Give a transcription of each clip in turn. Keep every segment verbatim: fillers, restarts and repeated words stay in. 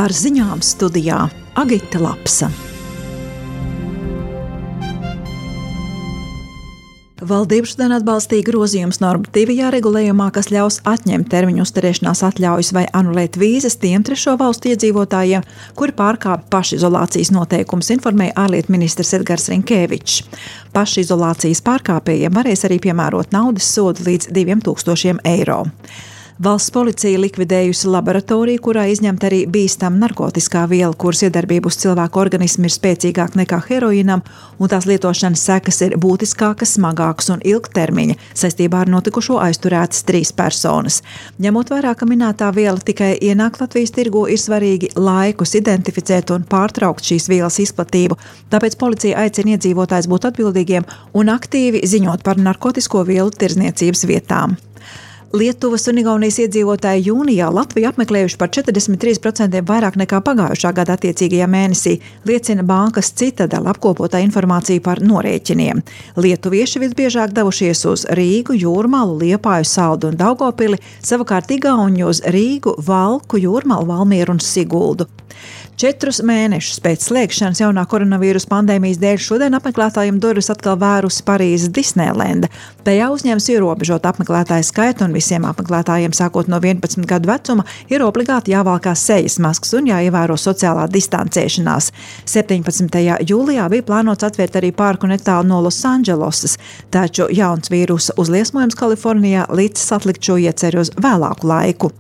Ar ziņām studijā Agita Lapsa. Valdība šodien atbalstīja grozījums normatīvajā regulējumā, kas ļaus atņemt termiņu uzturēšanās atļaujas vai anulēt vīzas tiem trešo valstu iedzīvotājiem, kuri pārkāpj pašizolācijas noteikumus, informēja ārlietu ministrs Edgars Rinkēvičs. Pašizolācijas pārkāpējiem varēs arī piemērot naudas sodu līdz diviem tūkstošiem eiro. Valsts policija likvidējusi laboratoriju, kurā izņemta arī bīstama narkotiskā viela, kuras iedarbība uz cilvēku organismu ir spēcīgāka nekā heroīnam, un tās lietošanas sekas ir būtiskākas, smagākas un ilgtermiņa. Saistībā ar notikušo aizturētas trīs personas. Ņemot vērā, ka minētā viela tikai ienāk Latvijas tirgu, ir svarīgi laikus identificēt un pārtraukt šīs vielas izplatību, tāpēc policija aicina iedzīvotājus būt atbildīgiem un aktīvi ziņot par narkotisko vielu tirdzniecības vietām. Lietuvas un Igaunijas iedzīvotāji jūnijā Latviju apmeklējuši par četrdesmit trīs procenti vairāk nekā pagājušā gada attiecīgajā mēnesī, liecina bankas Citadela apkopotā informācija par norēķiniem. Lietuvieši visbiežāk devušies uz Rīgu, Jūrmalu, Liepāju, Saldu un Daugavpili, savukārt igauņi uz Rīgu, Valku, Jūrmalu, Valmieru un Siguldu. Četrus mēnešus pēc slēgšanas jaunā koronavīrusa pandēmijas dēļ šodien apmeklētājiem durvis atkal vērusi Parīzes Disneilenda. Tajā uzņēmis ierobežot apmeklētāju skaitu un visiem apmeklētājiem sākot no vienpadsmit gadu vecuma ir obligāti jāvalkā sejas maskas un jāievēro sociālā distancēšanās. septiņpadsmitajā jūlijā bija plānots atvērt arī parku netālu no Losandželosas, taču jauns vīrusa uzliesmojums Kalifornijā līdz atlikt šo ieceru uz vēlāku laiku.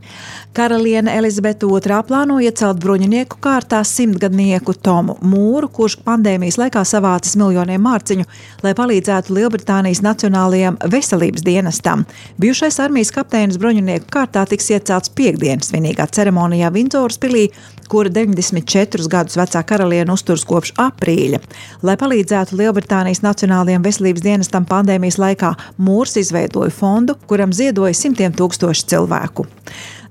Karaliene Elizabete otrā plāno iecelt bruņinieku kārtā simtgadnieku Tomu Mūru, kurš pandēmijas laikā savācis miljoniem mārciņu, lai palīdzētu Lielbritānijas Nacionālajam veselības dienestam. Bijušais armijas kapteinis bruņinieku kārtā tiks iecelts piekdienas svinīgā ceremonijā Vindzoras pilī, kura deviņdesmit četrus gadus vecā karaliene uzturas kopš aprīļa. Lai palīdzētu Lielbritānijas Nacionālajam veselības dienestam pandēmijas laikā, Mūrs izveidoja fondu, kuram ziedoja simtiem tūkstoši cilvēku.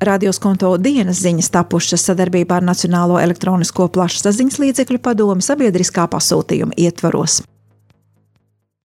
Radioskonto dienas ziņas tapušas sadarbībā ar Nacionālo elektronisko plašsaziņas līdzekļu padomi sabiedriskā pasūtījuma ietvaros.